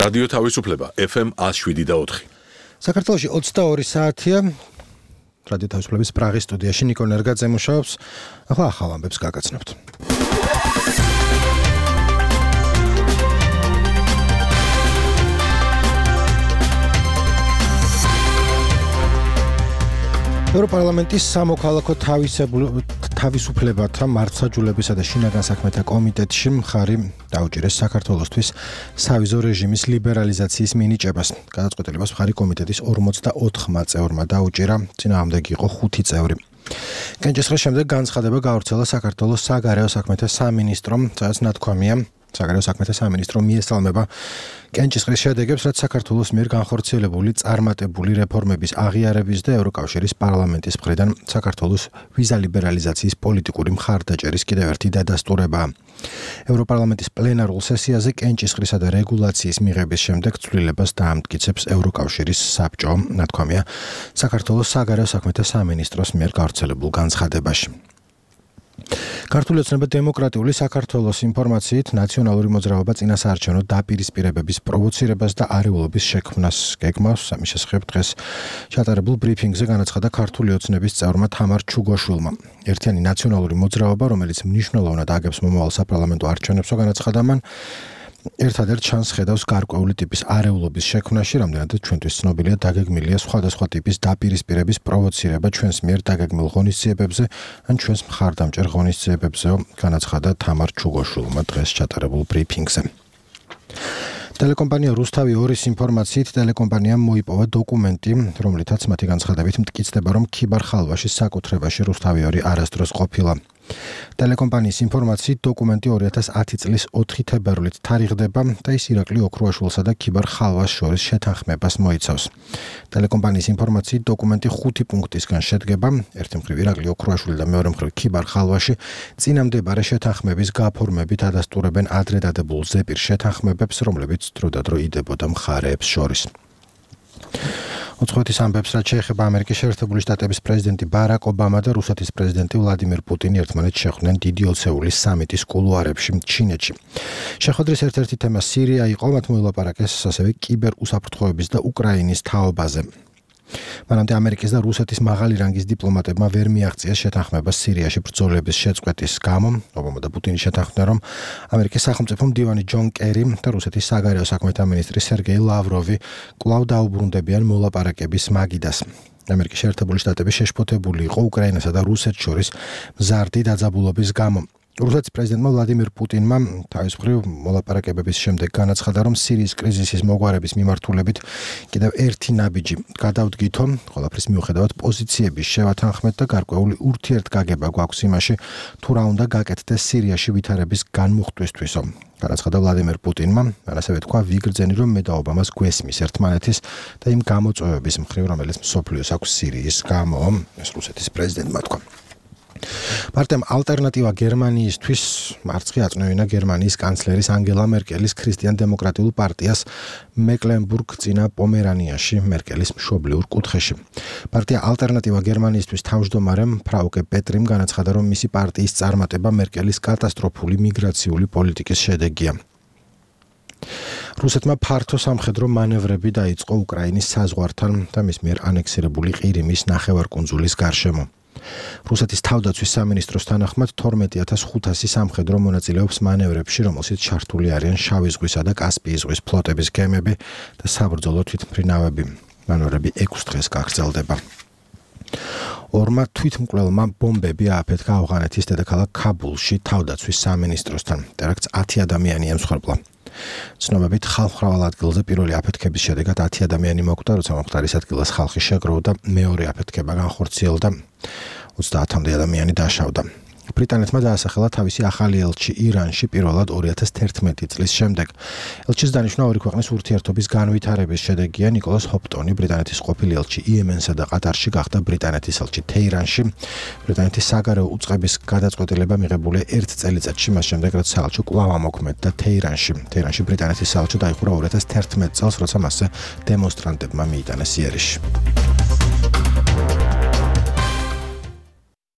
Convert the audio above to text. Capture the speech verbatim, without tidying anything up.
რადიო თავისუფლება ეფ ემ ათს შვიდი და ოთხი. საქართველოში ოცდაორი საათია. რადიო თავისუფლების პრაღის სტუდიაში ნიკო ნერგაძე მუშაობს. ახლა ახალ ამბებს გაგაცნობთ. ევროპარლამენტის სამოქალაქო თავისუფლებათა მართლმსაჯულებისა და შინაგან საქმეთა კომიტეტში მხარი დაუჭირეს საქართველოსთვის სავიზო რეჟიმის ლიბერალიზაციის მინიჭებას. გადაწყვეტილებას მხარი კომიტეტის ორმოცდაოთხმა წევრმა დაუჭირა, წინააღმდეგ იყო ხუთი წევრი. კენჭისყრის შემდეგ განცხადება გაავრცელა საქართველოს საგარეო საქმეთა სამინისტრომ, სადაც ნათქვამია, საგარეო საქმეთა სამინისტრო მიესალმება კენჭისყრის შედეგებს, რაც საქართველოს მიერ განხორციელებული წარმატებული რეფორმების აღიარების და ევროკავშირის პარლამენტის მხრიდან საქართველოს ვიზა ლიბერალიზაციის პოლიტიკური მხარდაჭერის კიდევ ერთი დადასტურებაა. ევროპარლამენტის პლენარულ სესიაზე კენჭისყრისა და რეგულაციის მიღების შემდეგ ცვლილებას დაამტკიცებს ევროკავშირის საბჭო, ნათქვამია საქართველოს საგარეო საქმეთა სამინისტროს მიერ გავრცელებულ განცხადებაში. ქართული ოცნება დემოკრატიული საქართველოს ინფორმაციით ნაციონალური მოძრაობა წინასაარჩევნო დაპირისპირებების პროვოცირებას და არეულობის შექმნას გეგმავს. ამის შესახებ დღეს ჩატარებულ ბრიფინგზე განაცხადა ქართული ოცნების წევრმა თამარ ჩუგოშვილმა. ერთიანი ნაციონალური მოძრაობა, რომელიც მნიშვნელოვნად აგებს მომავალ საპარლამენტო არჩევნებს, განაცხადა მან, ერთადერთ შანსს ხედავს გარკვეული ტიპის არეულობის შექმნაში, რამდენადაც ჩვენთვის ცნობილია დაგეგმილია სხვადასხვა ტიპის დაპირისპირების პროვოცირება ჩვენს მიერ დაგეგმილ ღონისძიებებზე ან ჩვენს მხარდამჭერ ღონისძიებებზე, განაცხადა თამარ ჩუგოშვილმა დღეს ჩატარებულ ბრიფინგზე. ტელეკომპანია რუსთავი ორის ინფორმაციით ტელეკომპანიამ მოიპოვა დოკუმენტი, რომლითაც მათი განცხადებით მტკიცდება, რომ ქიბარ ხალვაშის საკუთრებაში რუსთავი ორი არასდროს ყოფილა. ტელეკომპანიის ინფორმაციით დოკუმენტი ორი ათას ათი წლის ოთხი თებერვლით თარიღდება და ის ირაკლი ოქრუაშვილსა და ქიბარ ხალვას შორის შეთანხმებას მოიცავს. ტელეკომპანიის ინფორმაციით დოკუმენტი ხუთი პუნქტისგან შედგება. ერთი მხრივ ირაკლი ოქრუაშვილი და მეორე მხრივ ქიბარ ხალვაში წინამდებარე შეთანხმების გაფორმებით ადასტურებენ ადრე დადებულ ზეპირ შეთანხმებებს, რომლებიც დროდადრო იდებოდა მხარეებს შორის. ოცხოეთის ამბებს, რაც შეეხება ამერიკის შეერთებული შტატების პრეზიდენტი ბარაკ ობამა და რუსეთის პრეზიდენტი ვლადიმირ პუტინი ერთმანეთს შეხვდნენ დიდი ოცეულის სამიტის კულუარებში ჩინეთში. შეხვედრის ერთ-ერთი თემა სირია იყო, მათ მოილაპარაკეს ასევე კიბერუსაფრთხოების და უკრაინის თაობაზე. მანამდე ამერიკის და რუსეთის მაღალი რანგის დიპლომატებმა ვერ მიაღწიეს შეთანხმებას სირიაში ბრძოლების შეწყვეტის გამო. ობამა და პუტინი შეთანხმდნენ, რომ ამერიკის სახელმწიფო მდივანი ჯონ კერი და რუსეთის საგარეო საქმეთა მინისტრი სერგეი ლავროვი კვლავ დაუბრუნდებიან მოლაპარაკების მაგიდას. ამერიკის შეერთებული შტატები შეშფოთებული იყო უკრაინასა და რუსეთს შორის მზარდი დაძაბულობის გამო. რუსეთის პრეზიდენტმა ვლადიმირ პუტინმა თავის მხრივ მოლაპარაკებების შემდეგ განაცხადა, რომ სირიის კრიზისის მოგვარების მიმართულებით კიდევ ერთი ნაბიჯი გადავდგითო, ყველაფრის მიუხედავად პოზიციების შევათანხმეთ და გარკვეული ურთიერთგაგება გვაქვს იმაში, თუ რა უნდა გაკეთდეს სირიაში ვითარების განმუხტვისთვისო. განაცხადა ვლადიმირ პუტინმა, ასევე თქვა ვიგრძენი, რომ მე და ობამას გვესმის ერთმანეთის და იმ გამოწვევების მხრივ, რომელიც მსოფლიოს აქვს სირიის გამო, ეს რუსეთის პრეზიდენტმა თქვა. პარტიამ ალტერნატივა გერმანიისთვის მარცხი აწნევინა გერმანიის კანცლერის ანგელა მერკელის ქრისტიან-დემოკრატიულ პარტიას მეკლენბურგ-წინა პომერანიაში მერკელის მშობლიურ კუთხეში. პარტია ალტერნატივა გერმანიისთვის თავმჯდომარემ ფრაუკე პეტრიმ განაცხადა, რომ მისი პარტიის წარმატება მერკელის კატასტროფული მიგრაციული პოლიტიკის შედეგია. რუსეთმა ფართო სამხედრო მანევრები დაიწყო უკრაინის საზღვართან და მის მიერ ანექსირებული ყირიმის ნახევარკუნძულის გარშემო. რუსეთის თავდაცვის სამინისტროს თანახმად თორმეტი ათას ხუთასი სამხედრო მონაწილეობს მანევრებში, რომელშიც ჩართული არიან შავი ზღვისა და კასპიის ზღვის ფლოტების გემები და საბრძოლო თვითმფრინავები. მანევრები ექვს დღეს გაგრძელდება. ორმა თვითმკვლელმა ბომბები ააფეთქა ავღანეთის დედაქალაქ ქაბულში თავდაცვის სამინისტროსთან. ტერაქტს ათი ადამიანი ემსხვერპლა. ცნობებით ხალხმრავალ ადგილზე პირველი აფეთქების შედეგად ათი ადამიანი მოკვდა, როცა მომხდარის ადგილას ხალხი შეგროვდა, მეორე აფეთქება განხორციელდა, ოცდაათამდე ადამიანი დაშავდა. ბრიტანეთმა დაასახელა თავისი ახალი ელჩი ირანში პირველად ორი ათას თერთმეტი წლის შემდეგ. ელჩის დანიშვნა ორი ქვეყნის ურთიერთობის განვითარების შედეგია. ნიკოლას ჰოპტონი, ბრიტანეთის ყოფილი ელჩი იემენსა და ყატარში, გახდა ბრიტანეთის ელჩი თეირანში. ბრიტანეთის საგარეო უწყების გადაწყვეტილება მიღებულია ერთ წელიწადში მას შემდეგ, რაც საელჩო კვლავ ამოქმედდა თეირანში. თეირანში ბრიტანეთის საელჩო დაიხურა ორი ათას თერთმეტ წელს, როცა მასზე დემონსტრანტებმა მიიტანეს იერიში.